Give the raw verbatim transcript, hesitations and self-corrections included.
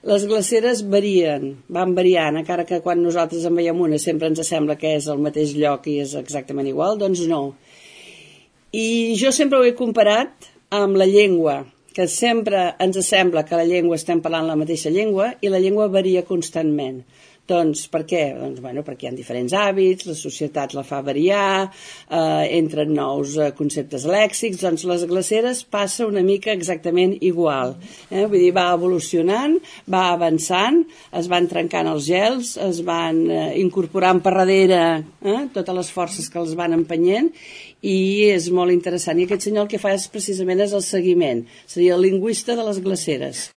Les glaceres varien, van variant, encara que quan nosaltres en veiem una sempre ens sembla que és al mateix lloc i és exactament igual, doncs no. I jo sempre ho he comparat amb la llengua, que sempre ens sembla que la llengua estem parlant la mateixa llengua i la llengua varia constantment. Doncs per què? Doncs, bueno, perquè hi ha diferents hàbits, la societat la fa variar, eh, entren nous eh, conceptes lèxics, doncs les glaceres passa una mica exactament igual. Eh? Vull dir, va evolucionant, va avançant, es van trencant els gels, es van eh, incorporant per darrere eh, totes les forces que els van empenyent i és molt interessant. I aquest senyor el que fa és precisament és el seguiment, seria el lingüista de les glaceres.